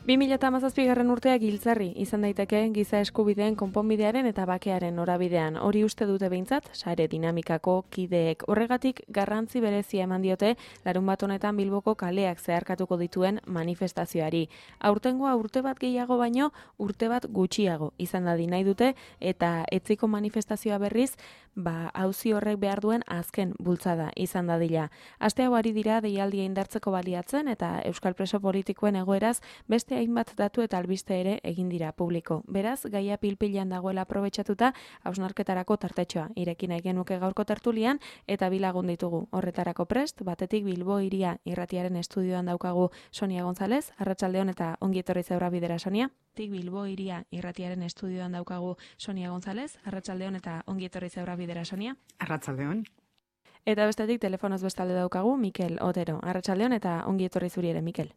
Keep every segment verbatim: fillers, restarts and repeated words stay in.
bi mila hamazazpigarren urtea giltzarri izan daiteke giza eskubideen konponbidearen eta bakearen norabidean. Hori uste dute behintzat, sare dinamikako kideek. Horregatik garrantzi berezia eman diote larunbat honetan Bilboko kaleak zeharkatuko dituen manifestazioari. Aurtengoa urte bat gehiago baino urte bat gutxiago izan dadin nahi dute eta etziko manifestazioa berriz, ba auzi horrek behar duen azken bultzada izan dadila. Aste hau ari dira deialdia indartzeko baliatzen eta euskal preso politikoen egoeraz beste hainbat datu eta albiste ere egin dira publiko. Beraz, gaia pilpilan dagoela aprobetxatuta, hausnarketarako tartetxoa ireki nahi genuke gaurko tertulian eta bi lagun ditugu. Horretarako prest, batetik Bilbo Hiria irratiaren estudioan daukagu Sonia González, arratsaldeon eta ongi etorri zeura bidera, Sonia. Tik Bilbo Hiria irratiaren estudioan daukagu Sonia González, arratsaldeon eta ongi etorri zeura bidera, Sonia. Arratsaldeon. Eta bestetik telefonoz bestalde daukagu Mikel Otero, arratsaldeon eta ongi etorri zuri ere, Mikel.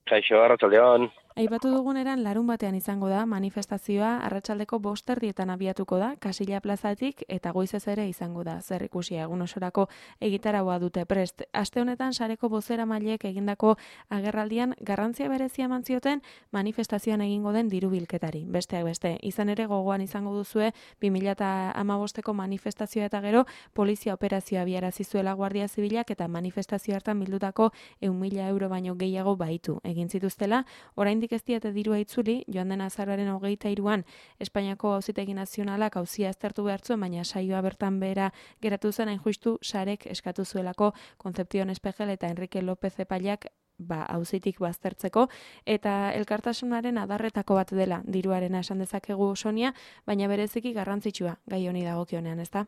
Kaixo, arratsaldeon. Aipatu duguneran larun batean izango da manifestazioa arratsaldeko bost erdietan abiatuko da Kasilla plazatik eta goizez ere izango da. Zer ikusia egun osorako egitaraua dute prest. Aste honetan sareko bozeramaileek egindako agerraldian garrantzia berezia eman zioten manifestazioan egingo den dirubilketari. Besteak beste, izan ere gogoan izango duzue bi mila hamabosteko manifestazioa eta gero polizia operazioa abiarazi zuela Guardia Zibilak eta manifestazio hartan bildutako ehun mila euro baino gehiago baitu egin zituztela. Oraindik ez diete dirua itzuli, joan den azaroaren hogeita hiruan Espainiako Auzitegi Nazionalak auzia aztertu behar zuen, baina saioa bertan behera geratu zen hain justu sarek eskatu zuelako Concepción Espejel eta Enrique López epaileak ba auzitik baztertzeko eta elkartasunaren adarretako bat dela diruarena esan dezakegu, Sonia, baina bereziki garrantzitsua gai honi dagokionean, ezta?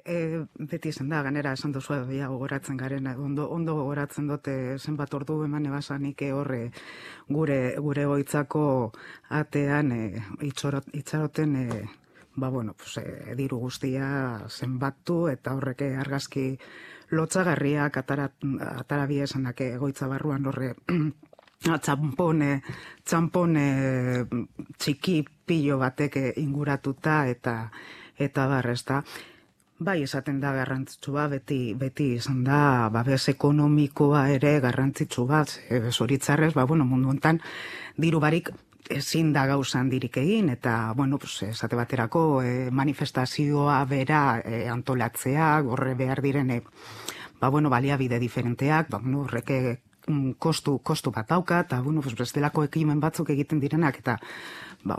E, beti esan da, ganera esan duzu edo gogoratzen garen, ondo, ondo gogoratzen dute zenbat ordu eman ebasanik horre gure gure goitzako atean e, itxaroten e, ba bueno, pues, e, diru guztia zenbatu eta horrek argazki lotzagarriak atara, atarabia esanak egoitza barruan horre txampone, txampone txiki pilo batek inguratuta eta eta barrezta. Bai, esaten da garrantzitsua, beti beti izan da babes ekonomikoa ere garrantzitsu bat, e, zoritzarrez, ba, bueno, mundu hontan diru barik ezin da gauza handirik egin, eta, bueno, pues, esate baterako e, manifestazioa bera e, antolatzea, horre behar direne, ba, bueno, baliabide diferenteak, ba, bueno, horreke kostu, kostu bat dauka, eta, bueno, pues, bestelako ekimen batzuk egiten direnak, eta ba,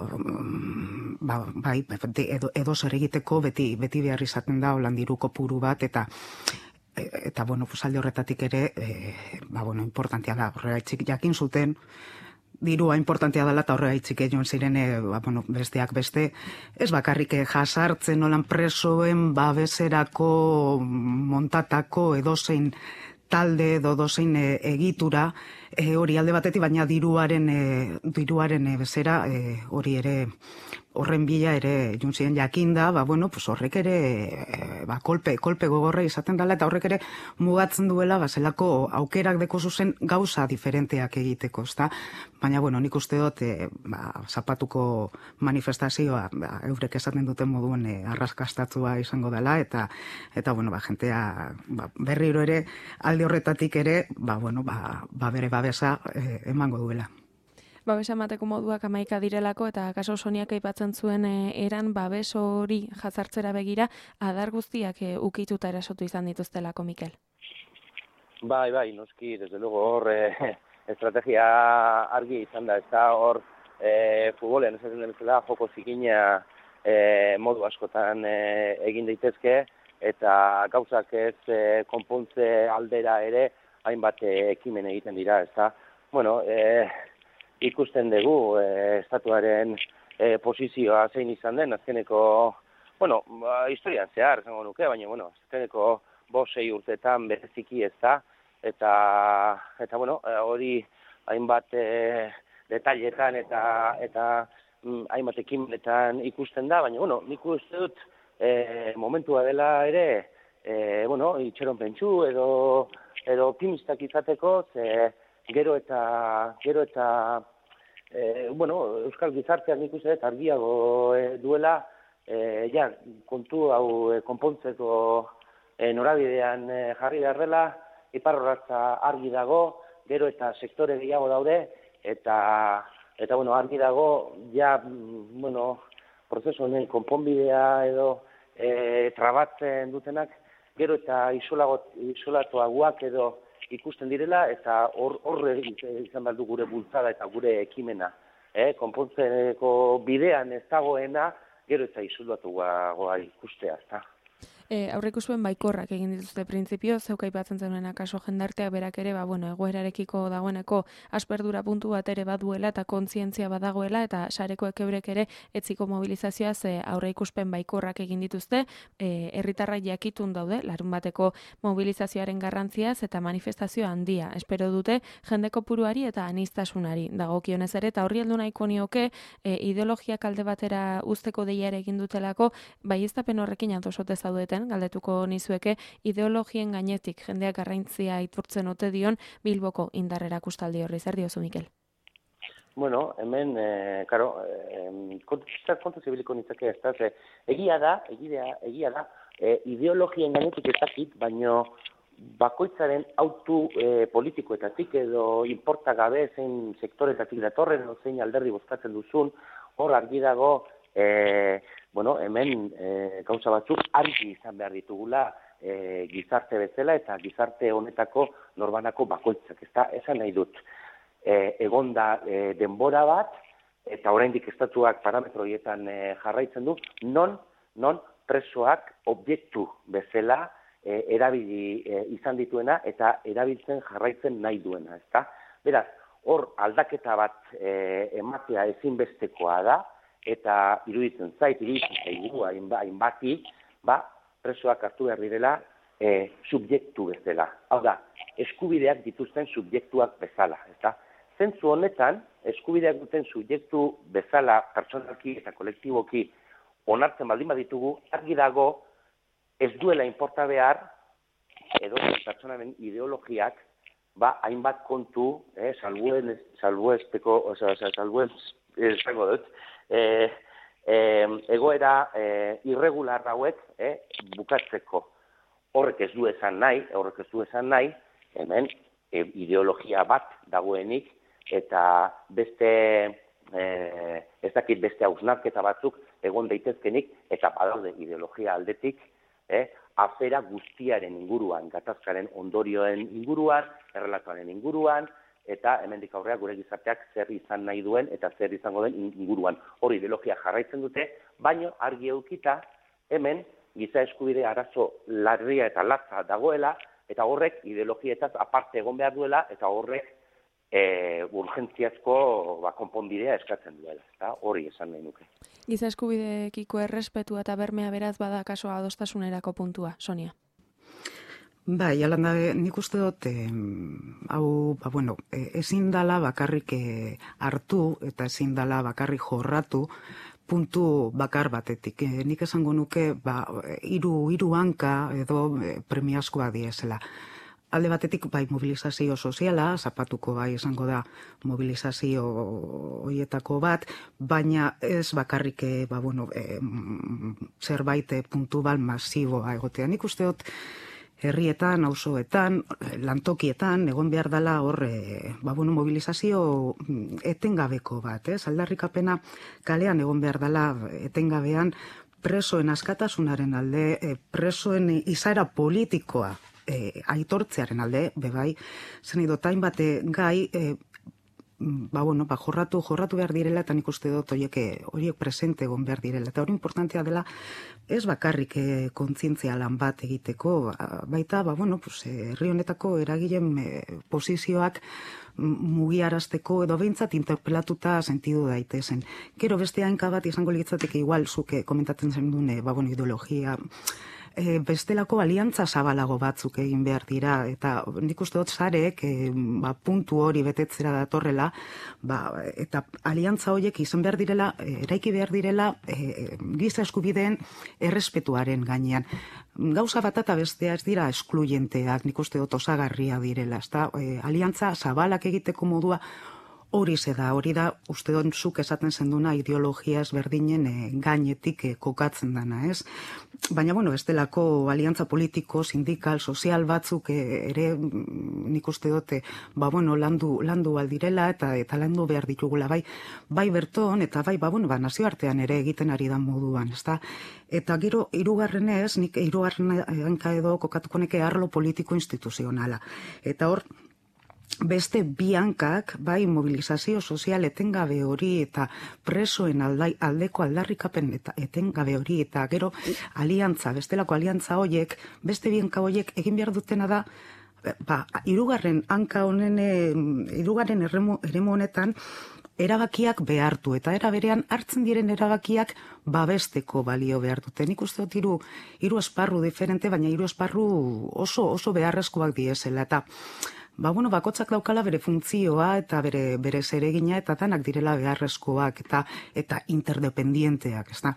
ba, bai, edo, edo zer egiteko beti, beti behar izaten da holan diru kopuru bat, eta eta, bueno, pues, alde horretatik ere, e, ba, bueno, importantea da, horregaitzik jakin zuten, dirua importantea dela eta horregaitzik joan ziren, e, ba, bueno, besteak beste, ez bakarrik jasartzen holan presoen babeserako montatako edozein talde edo dozein e, egitura, e, hori alde batetik, baina diruaren, e, diruaren e, bezera, e, hori ere, horren bila ere juntzien jakinda, ba, bueno, pues horrek ere, e, ba, kolpe, kolpe gogorra izaten dela, eta horrek ere mugatzen duela, ba, zelako aukerak deko zuzen gauza diferenteak egiteko, ezta? Baina, bueno, nik uste dut, e, ba, zapatuko manifestazioa, ba, eurek esaten duten moduen e, arraskastatua izango dela, eta, eta bueno, ba, jentea, ba, berriro ere, alde horretatik ere, ba, bueno, ba, ba bere babesa e, emango duela. Babesa emateko moduak hamaika direlako eta kaso Soniak aipatzen zuen e, eran babes hori jazartzera begira adar guztiak e, ukituta erasotu izan dituztelako, Mikel. Bai, bai, noski, desde luego hor e, estrategia argi izan da, ez da hor e, futbolean esaten den bezala joko zikina e, modu askotan e, egin daitezke eta gauzak ez e, konpontze aldera ere hainbat e, ekimen egiten dira, ez da. Bueno, e, ikusten dugu e, estatuaren e, posizioa zein izan den, azkeneko, bueno, ba, historian zehar, zango nuke, baina, bueno, azkeneko bosei urtetan bereziki ez da, eta, eta bueno, hori hainbat e, detailetan eta, eta mm, hainbat ekimenetan ikusten da, baina, bueno, nik uste dut e, momentua dela ere, e, bueno, itxeron pentsu edo, edo optimistak izateko, ze, Gero eta, gero eta e, bueno, Euskal Gizarteak nik uste dut argiago e, duela, e, ja, kontu hau e, konpontzeko e, norabidean e, jarri beharrela, iparrorratza argi dago, gero eta sektore gehiago daude, eta, eta bueno, argi dago, ja, bueno, prozesu honen konponbidea edo e, trabatzen dutenak, gero eta isolatuagoak edo ikusten direla, eta horre izan behar du gure bultzada eta gure ekimena. Eh, konpontzeko bidean ez dagoena, gero eta isolatuagoa ikustea, ezta. E, aurreikuspen baikorrak egin dituzte printzipio, zeuk aipatzen zenuen akaso jendarteak berak ere, ba, bueno, egoerarekiko dagoeneko asperdura puntu bat ere baduela eta kontzientzia badagoela eta sarekoek eurek ere etziko mobilizazioa ze aurreikuspen baikorrak egin dituzte, e, herritarrak jakitun daude, larun bateko mobilizazioaren garrantziaz eta manifestazio handia. Espero dute jende kopuruari eta aniztasunari dagokionez ere, eta horri heldu nahiko nioke e, ideologiak alde batera uzteko deia ere egin dutelako, baieztapen horrekin adosote zaudeten, galdetuko nizueke, ideologien gainetik jendeak garrantzia aitortzen ote dion Bilboko indar erakustaldi horri. Zer diozu, Mikel? Bueno, hemen, eh, karo, eh, kontu zibiliko nitzake ez da, egia da, egia, egia da, eh, ideologien gainetik ez dakit, baino bakoitzaren autu eh, politikoetatik edo inporta gabe zein sektoretatik datorren, zein alderdi bozkatzen duzun, hor argi dago, eh, bueno, hemen e, gauza batzuk argi izan behar ditugula e, gizarte bezala eta gizarte honetako norbanako bakoitzak. Ez da, esan nahi dut, e, egonda e, denbora bat, eta oraindik estatuak parametro horietan e, jarraitzen du, non, non presoak objektu bezala e, erabili e, izan dituena eta erabiltzen jarraitzen nahi duena. Ez da? Beraz, hor aldaketa bat e, ematea ezinbestekoa da, eta iruditzen zait, iruditzen zaigu hainbati, ba, presoak hartu behar direla e, subjektu bezala. Hau da, eskubideak dituzten subjektuak bezala. Eta zentzu honetan, eskubideak duten subjektu bezala, pertsonalki eta kolektiboki onartzen baldin baditugu, argi dago ez duela inporta behar, edo pertsonaren ideologiak, ba, hainbat kontu, eh, salbuen, salbuesteko, oza, salbuen, esango dut, E, e, egoera e, irregular hauek e, bukatzeko. Horrek ez du esan nahi, horrek ez du esan nahi, hemen e, ideologia bat dagoenik, eta beste, e, ez dakit beste hausnarketa batzuk egon daitezkenik, eta badaude ideologia aldetik, e, afera guztiaren inguruan, gatazkaren ondorioen inguruan, errelatoaren inguruan, eta hemendik aurrea gure gizarteak zer izan nahi duen eta zer izango den inguruan. Hori ideologia jarraitzen dute, baino argi eukita hemen giza eskubide arazo larria eta latza dagoela, eta horrek ideologietaz aparte egon behar duela, eta horrek e, urgentziazko ba, konponbidea eskatzen duela. Eta hori esan nahi nuke. Giza eskubideekiko errespetua eta bermea beraz bada kaso adostasunerako puntua, Sonia. Bai, alanda, nik uste dut, eh, hau, ba, bueno, eh, ezin dala bakarrik eh, hartu eta ezin dala bakarrik jorratu puntu bakar batetik. Eh, nik esango nuke, ba, hiru hiru hanka edo eh, premiazkoa diesela. Alde batetik, bai, mobilizazio soziala, zapatuko bai esango da mobilizazio horietako bat, baina ez bakarrik, eh, ba, bueno, eh, zerbait puntubal masiboa egotea. Nik uste dut, herrietan, auzoetan, lantokietan, egon behar dela hor, e, ba, bueno, mobilizazio etengabeko bat, ez? Aldarrikapena kalean egon behar dela etengabean presoen askatasunaren alde, e, presoen izaera politikoa e, aitortzearen alde, bebai, zen idotain bate gai, e, ba, bueno, ba, jorratu, jorratu behar direla, eta nik uste dut horiek, horiek presente egon behar direla. Eta hori importantea dela, ez bakarrik eh, kontzientzia lan bat egiteko, baita, ba, bueno, pues, herri honetako eragilen eh, posizioak mugiarazteko edo behintzat interpelatuta sentidu daitezen. Gero beste hainka bat izango litzateke igual, zuke komentatzen zen dune, ba, bueno, ideologia, E, bestelako aliantza zabalago batzuk egin behar dira, eta nik uste dut zarek e, ba, puntu hori betetzera datorrela, ba, eta aliantza horiek izan behar direla, e, eraiki behar direla e, giza eskubideen errespetuaren gainean. Gauza bat eta bestea ez dira eskluyenteak, nik uste dut osagarria direla, ezta? E, aliantza zabalak egiteko modua hori ze da, hori da, uste dut zuk esaten zenduna ideologia ezberdinen e, gainetik e, kokatzen dana, ez? Baina, bueno, ez delako aliantza politiko, sindikal, sozial batzuk e, ere nik uste dute, ba, bueno, landu, landu aldirela eta eta landu behar ditugula, bai, bai berton, eta bai, ba, bueno, ba, nazioartean ere egiten ari da moduan, ez da? Eta gero, hirugarrenez, nik hirugarren hanka edo kokatuko neke arlo politiko instituzionala. Eta hor, beste bi hankak, bai, mobilizazio sozial etengabe hori eta presoen aldai, aldeko aldarrikapen eta etengabe hori eta gero aliantza, bestelako aliantza hoiek, beste bi hanka hoiek egin behar dutena da, ba, hirugarren hanka honen, hirugarren eremu, eremu honetan, erabakiak behartu, eta era berean hartzen diren erabakiak babesteko balio behar dute. Nik uste dut hiru, hiru esparru diferente, baina hiru esparru oso, oso beharrezkoak diezela, eta ba, bueno, bakotzak daukala bere funtzioa eta bere, bere zeregina eta danak direla beharrezkoak eta eta interdependienteak, ez da?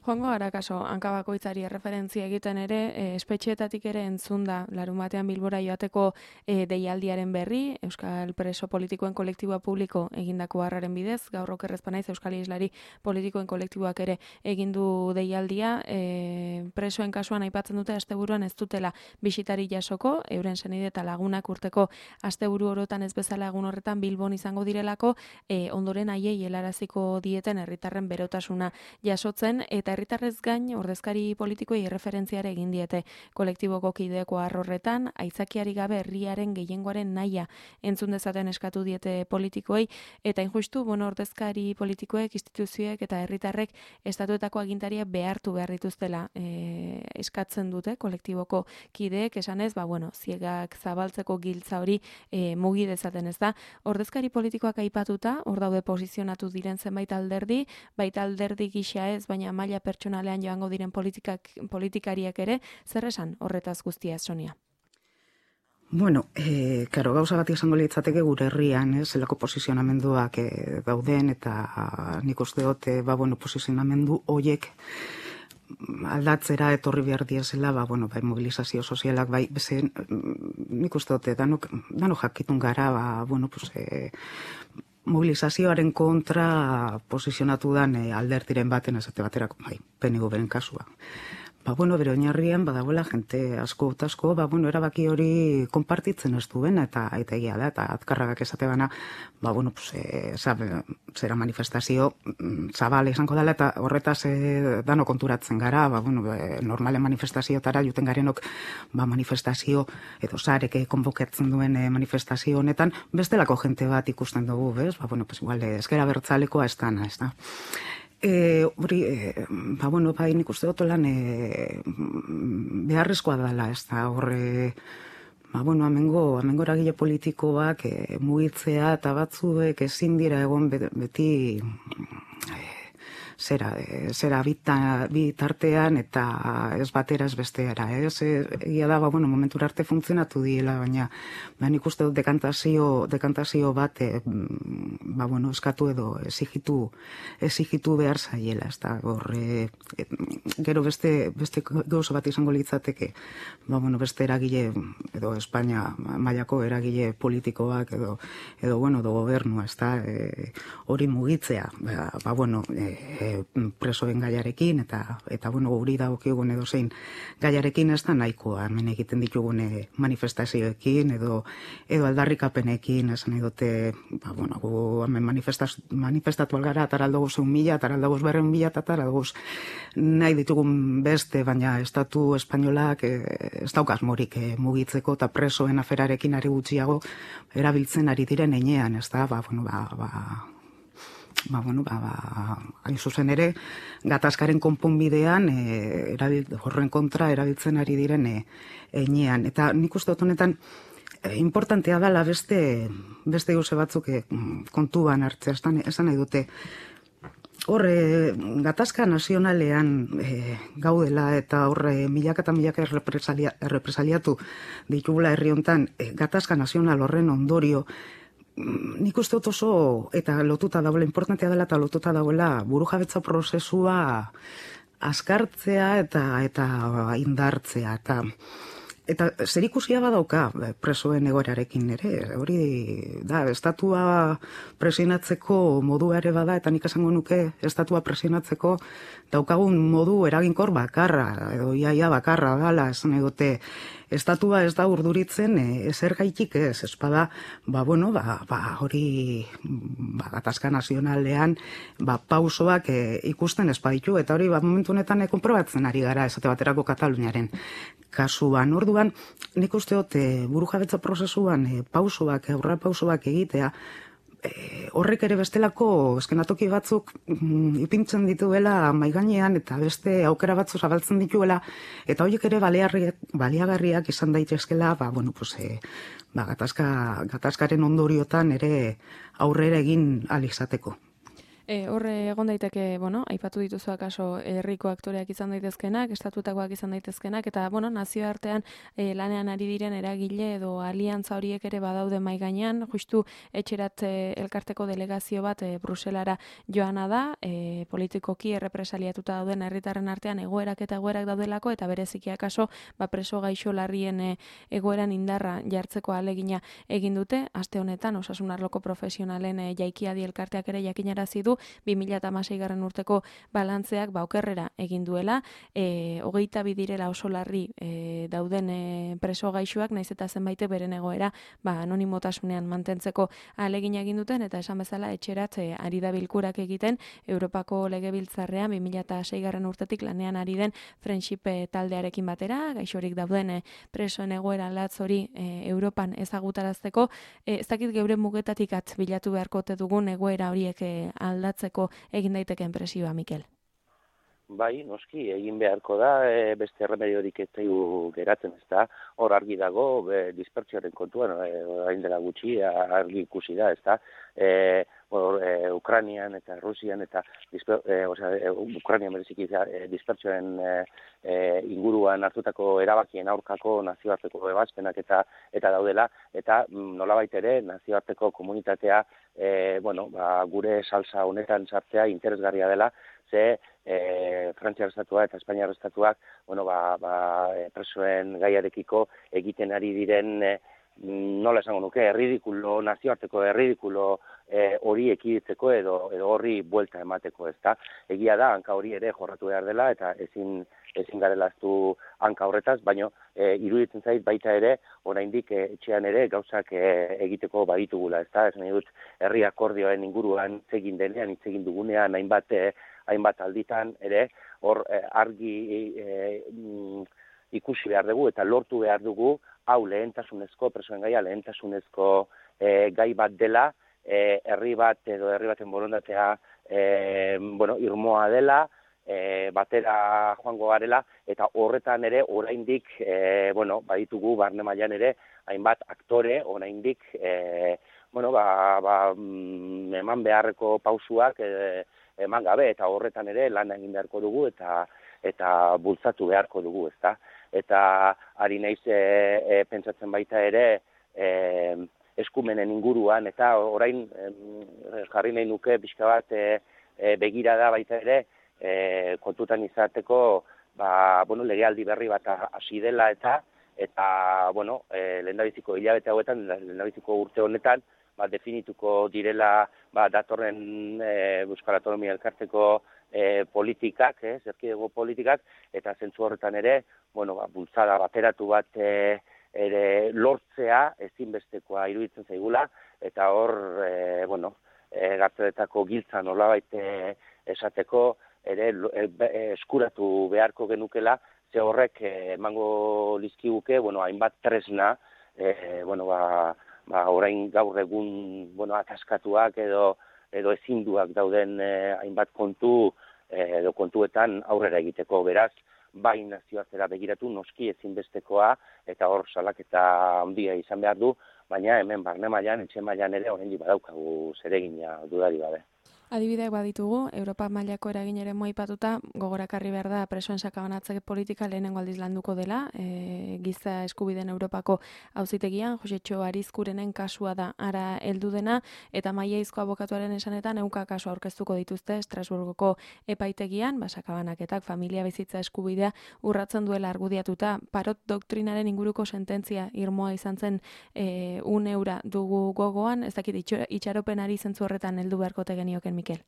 Joango gara kaso, hanka bakoitzari erreferentzia egiten ere, e, espetxeetatik ere entzun da, larun batean Bilbora joateko e, deialdiaren berri, Euskal Preso Politikoen Kolektiboa Publiko egindako harraren bidez, gaur okerrezpa naiz Euskal Islari Politikoen Kolektiboak ere egindu deialdia, e, presoen kasuan aipatzen dute asteburuan ez dutela bisitari jasoko, euren senide eta lagunak urteko asteburu orotan ez bezala egun horretan Bilbon izango direlako, e, ondoren haiei helaraziko dieten herritarren berotasuna jasotzen, eta herritarrez gain ordezkari politikoei erreferentziare egin diete kolektiboko kideko horretan, aitzakiari gabe herriaren gehiengoaren nahia entzun dezaten eskatu diete politikoei, eta injustu, bueno, ordezkari politikoek, instituzioek eta herritarrek estatuetako agintaria behartu behar dituztela e, eskatzen dute kolektiboko kideek, esanez, ba, bueno, ziegak zabaltzeko giltza hori e, mugi dezaten, ez da. Ordezkari politikoak aipatuta, hor daude posizionatu diren zenbait alderdi, baita alderdi gisa ez, baina maila pertsonalean joango diren politikak, politikariak ere, zer esan horretaz guztia, Sonia? Bueno, eh, karo, gauza bat izango litzateke gure herrian, eh, zelako posizionamenduak eh, dauden, eta nik uste dut, eh, ba, bueno, posizionamendu hoiek aldatzera etorri behar diezela, ba, bueno, bai, mobilizazio sozialak, bai, bezen, nik uste dut, danok, danok jakitun gara, ba, bueno, pues, eh, mobilizazioaren kontra posizionatu dan e, alderdiren baten esate baterako, bai, P N V beren kasua. Ba, bueno, bere oinarrian badagoela jente asko eta asko, ba, bueno, erabaki hori konpartitzen ez duena eta eta egia da, eta azkarragak esate bana, ba, bueno, pues, e, zera manifestazio zabal izango dela, eta horretaz e, dano konturatzen gara, ba, bueno, e, normalen manifestaziotara juten garenok, ba, manifestazio edo zareke konbokatzen duen e, manifestazio honetan, bestelako jente bat ikusten dugu, bez? Ba, bueno, pues, igual, ezkera bertzalekoa ez dana, ez da. E, hori, e, ba, bueno, ba, nik uste dut lan e, beharrezkoa dela, ez da, horre, ba, bueno, amengo, amengo eragile politikoak e, mugitzea eta batzuek ezin dira egon beti e, zera, e, zera bita, bitartean eta ez batera ez besteara, ez? Egia da, ba, bueno, momentura arte funtzionatu diela, baina ba, nik uste dut dekantazio, dekantazio bat e, ba, bueno, eskatu edo exigitu, exigitu behar zaiela, ez da, horre, e, gero beste, beste gauza bat izango litzateke, ba, bueno, beste eragile, edo Espainia mailako eragile politikoak, edo, edo bueno, edo gobernua, ez da, e, hori mugitzea, ba, ba bueno, e, presoen gaiarekin, eta, eta bueno, guri dagokigun edo zein gaiarekin ez da nahikoa, hemen egiten ditugune manifestazioekin, edo, edo aldarrikapenekin, esan edote, ba, bueno, gu hemen manifestatu algara, ataraldogu zeun mila, ataraldogu berren mila, eta ataraldogu nahi ditugun beste, baina estatu espainolak e, ez daukaz morik e, mugitzeko, eta presoen aferarekin ari gutxiago erabiltzen ari diren enean, ez da, ba, bueno, ba, ba, ba, bueno, ba, ba, hain zuzen ere, gatazkaren konponbidean e, erabil, horren kontra erabiltzen ari diren e, enean. Eta nik uste dut honetan, e, importantea dela beste, beste gauze batzuk e, kontuan hartzea, esan nahi dute, horre, gatazka nazionalean e, gaudela eta horre milaka eta milaka errepresalia, errepresaliatu ditugula herri hontan, e, gatazka nazional horren ondorio, nik uste dut oso, eta lotuta dagoela, importantea dela eta lotuta dagoela burujabetza prozesua askartzea eta eta indartzea. Eta Eta zerikusia badauka presoen egoerarekin ere, hori da, estatua presionatzeko modua ere bada, eta nik esango nuke estatua presionatzeko daukagun modu eraginkor bakarra, edo iaia bakarra dala, esan egote, estatua ez da urduritzen e, zer gaitik ez, espada, ba, bueno, ba, ba hori ba, gatazka nazionalean ba, pausoak e, ikusten espaditu, eta hori ba, momentu honetan e, konprobatzen ari gara, esate baterako Kataluniaren kasuan. Orduan, nik uste dut e, burujabetza prozesuan e, pausoak, aurra pausoak egitea, E, horrek ere bestelako eskenatoki batzuk mm, ipintzen dituela maigainean eta beste aukera batzu zabaltzen dituela, eta horiek ere baliagarriak izan daitezkela, ba, bueno, pues, e, ba, gatazka, gatazkaren ondoriotan ere aurrera egin ahal izateko. E, horre egon daiteke, bueno, aipatu dituzu akaso herriko aktoreak izan daitezkenak, estatutakoak izan daitezkenak, eta, bueno, nazioartean e, lanean ari diren eragile edo aliantza horiek ere badaude mai gainean, justu etxerat e, elkarteko delegazio bat e, Bruselara joana da, e, politikoki errepresaliatuta dauden herritarren artean egoerak eta egoerak daudelako, eta bereziki akaso ba, preso gaixo larrien e, egoeran indarra jartzeko ahalegina egin dute, aste honetan osasun arloko profesionalen e, jaikiadi elkarteak ere jakinarazi du bi mila hamaseigarren urteko balantzeak ba okerrera egin duela, e, hogeita bi direla oso larri e, dauden e, preso gaixoak, naiz eta zenbait beren egoera ba anonimotasunean mantentzeko ahalegina egin duten, eta esan bezala etxerat e, ari da bilkurak egiten Europako Legebiltzarrean bi mila seigarren urtetik lanean ari den Friendship e, taldearekin batera, gaixorik dauden e, presoen egoera latz hori e, Europan ezagutarazteko, e, ez dakit geure mugetatik at bilatu beharko ote dugun egoera horiek e, aldatzeko egin daitekeen presioa, Mikel? Bai, noski, egin beharko da, e, beste remediorik ez zaigu geratzen, ez da, hor argi dago, e, dispertsioaren kontuan, e, orain dela gutxi, argi ikusi da, ez da, e, or, e, Ukrainian eta Rusian eta disper, e, osea, e, Ukrainian bereziki e, dispertsioaren e, e, inguruan hartutako erabakien aurkako nazioarteko ebazpenak eta eta daudela, eta nolabait ere nazioarteko komunitatea e, bueno, ba, gure salsa honetan sartzea interesgarria dela, ze e, Frantziar estatua eta Espainiar estatuak bueno, ba, ba, presoen gaiarekiko egiten ari diren e, nola esango nuke, erridikulo, nazioarteko erridikulo e, hori ekiditzeko edo, edo horri buelta emateko, ez da. Egia da, hanka hori ere jorratu behar dela eta ezin, ezin garelaztu hanka horretaz, baina e, iruditzen zait baita ere, oraindik e, etxean ere gauzak e, egiteko baditugula, ez da. Esan dut, herri akordioen inguruan itzegin denean, itzegin dugunean, hainbat e, hainbat alditan ere, hor eh, argi eh, ikusi behar dugu eta lortu behar dugu, hau lehentasunezko, presoen gaia lehentasunezko eh, gai bat dela, eh, herri bat edo herri baten borondatea eh, bueno, irmoa dela, eh, batera joango garela, eta horretan ere oraindik eh, bueno, baditugu barne mailan ere, hainbat aktore oraindik eh, bueno, ba, ba, eman beharreko pausuak eh, eman gabe, eta horretan ere lan egin beharko dugu eta eta bultzatu beharko dugu, ezta? Eta ari naiz e, e, pentsatzen baita ere e, eskumenen inguruan, eta orain e, jarri nahi nuke pixka bat e, e, begirada baita ere e, kontutan izateko ba, bueno, legealdi berri bat hasi dela eta eta bueno, e, lehendabiziko hilabete hauetan, lehendabiziko urte honetan, ba, definituko direla ba, datorren e, Euskal Autonomia Elkarteko e, politikak, eh, zerkidego politikak, eta zentzu horretan ere, bueno, ba, bultzada bateratu bat e, ere lortzea ezinbestekoa iruditzen zaigula, eta hor, e, bueno, e, gartzeletako giltza nolabait e, esateko, ere e, eskuratu beharko genukela, ze horrek emango lizkiguke, bueno, hainbat tresna, e, bueno, ba, ba, orain gaur egun bueno, ataskatuak edo edo ezinduak dauden eh, hainbat kontu eh, edo kontuetan aurrera egiteko, beraz, bai nazioartera begiratu noski ezinbestekoa eta hor salaketa handia izan behar du, baina hemen barne mailan, etxe mailan ere oraindik badaukagu zeregina dudari gabe. Adibideak baditugu, Europa mailako eraginaren moipatuta, gogorakarri behar da presoen sakabanatze politika lehenengo aldiz landuko dela, e, giza eskubideen Europako auzitegian, Josetxo Arizkurenen kasua da ara heldu dena, eta Maiaizko abokatuaren esanetan ehunka kasu aurkeztuko dituzte Estrasburgoko epaitegian, ba, sakabanaketak familia bizitza eskubidea urratzen duela argudiatuta, Parot doktrinaren inguruko sententzia irmoa izan zen e, un eura dugu gogoan, ez dakit itxaropenari zentzu horretan heldu beharkote genioken Mikel.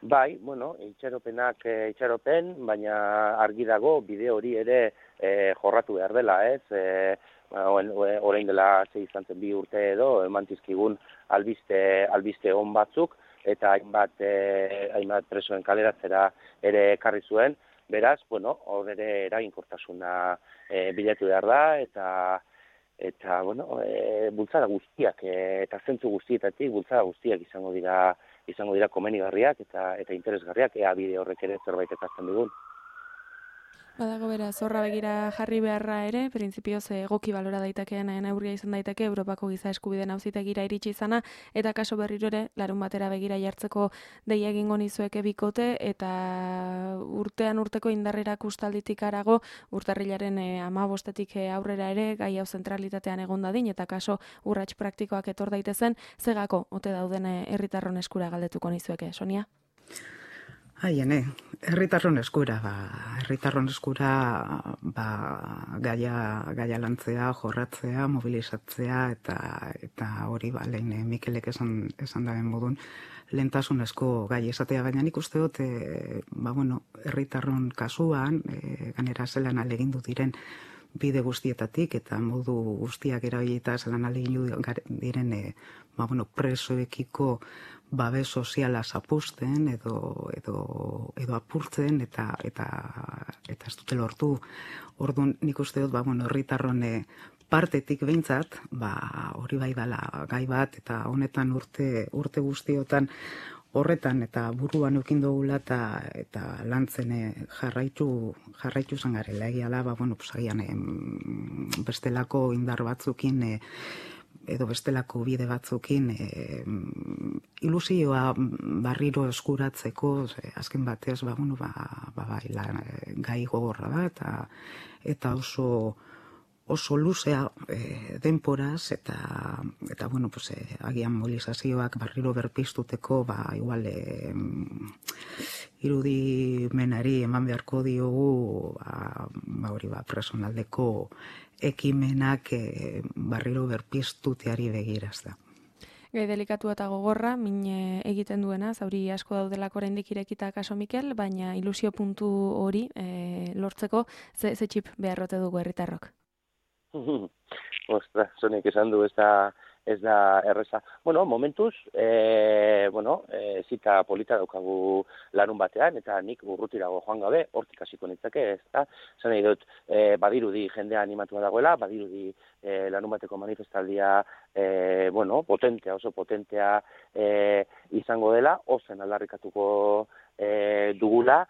Bai, bueno, itxaropenak e, itxaropen, baina argi dago bide hori ere e, jorratu behar dela, ez? E, orain dela ze izan zen bi urte edo, eman dizkigun albiste, albiste on batzuk, eta hainbat, e, hainbat presoen kaleratzera ere ekarri zuen, beraz, bueno, hor ere eraginkortasuna e, bilatu behar da, eta eta, bueno, e, bultzada guztiak, e, eta zentzu guztietatik bultzada guztiak izango dira izango dira komenigarriak eta eta interesgarriak, ea bide horrek ere zerbait ekartzen dugun. Badago bera, zorra begira jarri beharra ere, printzipioz egoki balora daitekeen neurria izan daiteke Europako giza eskubideen auzitegira iritsi izana, eta kaso berriro ere, larun batera begira jartzeko deia egingo nizueke bikote, eta urtean urteko indarrerak ustalditik arago, urtarrilaren e, amabostetik aurrera ere, gai hau zentralitatean egon dadin, eta kaso urrats praktikoak etor daitezen, zegako, ote dauden herritarron eskura galdetuko nizueke, Sonia? Haiene, herritarron eskura, ba, herritarron eskura ba, gaia, gaia lantzea, jorratzea, mobilizatzea, eta eta hori ba, lehen Mikelek esan, esan daren modun, lehentasunezko gai esatea, baina nik uste dut, e, ba, bueno, herritarron kasuan, e, ganera zelan alegindu diren bide guztietatik, eta modu guztiak erabilita zelan alegindu diren, e, ba, bueno, presoekiko babes soziala zapusten edo edo edo apurtzen eta eta eta ez dute lortu. Orduan nik uste dut ba bueno, herritarron partetik behintzat, ba hori bai dela gai bat eta honetan urte urte guztiotan horretan eta buruan eukin dugula eta eta lantzen jarraitu jarraitu izan garela egiala ba bueno, pues agian bestelako indar batzukin e, edo bestelako bide batzukin e, ilusioa barriro eskuratzeko, e, azken batez, ba, bueno, ba, ba, ba, la, gai gogorra da, eta, eta oso, oso luzea e, denporaz, eta, eta bueno, pues, e, agian mobilizazioak barriro berpiztuteko, ba, igual, e, irudimenari eman beharko diogu, ba, ba hori, ba, personaldeko ekimenak e, barriro berpiztuteari begiraz da. Gai delikatu eta gogorra, min egiten duena, zauri asko daudelako oraindik irekita kaso Mikel, baina ilusio puntu hori e, lortzeko ze, ze txip beharrote dugu herritarrok. Ostra, Sonek esan du ez da, ez da erreza. Bueno, momentuz, e, bueno, e, zita polita daukagu larun batean, eta nik urrutirago joan gabe, hortik hasiko nitzake, ez da? Zan nahi dut, e, badirudi jendea animatua dagoela, badirudi e, larun bateko manifestaldia, e, bueno, potentea, oso potentea e, izango dela, ozen aldarrikatuko e, dugula,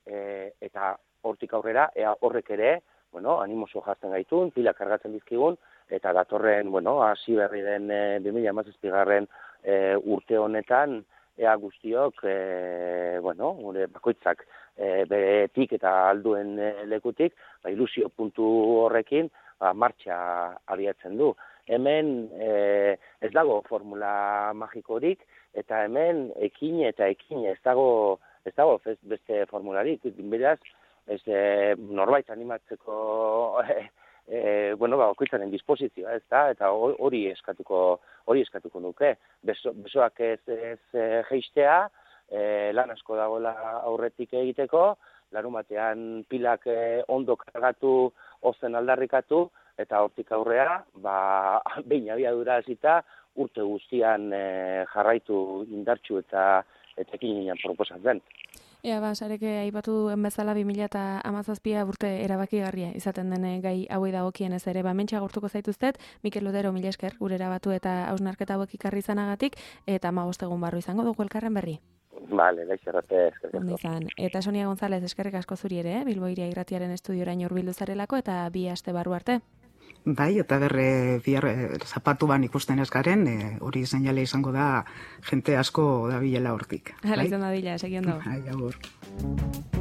e, eta hortik aurrera, ea horrek ere, bueno, animoso jazten gaitun, pilak kargatzen dizkigun, eta datorren, bueno, hasi berri den e, bi mila hamazazpigarren e, urte honetan, ea guztiok, e, bueno, gure bakoitzak e, beretik eta alduen e, lekutik, ba, ilusio puntu horrekin, ba, martxa abiatzen du. Hemen e, ez dago formula magikorik, eta hemen ekin eta ekin ez dago, ez dago beste formularik, beraz, ez e, norbait animatzeko e, e, bueno, ba, okoitzaren disposizioa, ez da, eta hori eskatuko hori eskatuko nuke. Beso, besoak ez, ez e, geistea, e, lan asko dagoela aurretik egiteko, larun batean pilak e, ondo kargatu, ozen aldarrikatu, eta hortik aurrea, ba, behin abiadura hasita urte guztian e, jarraitu indartsu eta etekin ginen proposatzen. Ea, ba, sareke aipatu duen bezala bi mila hamazazpia urte erabakigarria izaten den gai hauei dagokienez ere. Ba, mentxa agurtuko zaituztet, Mikel Lodero, mila esker, gure erabatu eta hausnarketa hauek ikarri izanagatik, eta hamabost egun barru izango dugu elkarren berri. Vale, gaixerrate, eskerrik asko. Izan. Eta Sonia González, eskerrik asko zuri ere, eh? Bilbo Iria Irratiaren estudioraino hurbildu zarelako, eta bi aste barru arte. Bai, eta berre bihar e, zapatuan ikusten ez garen, e, hori seinale izango da jente asko dabilela hortik. Hala izan da dila, segiondo. Bai, agur.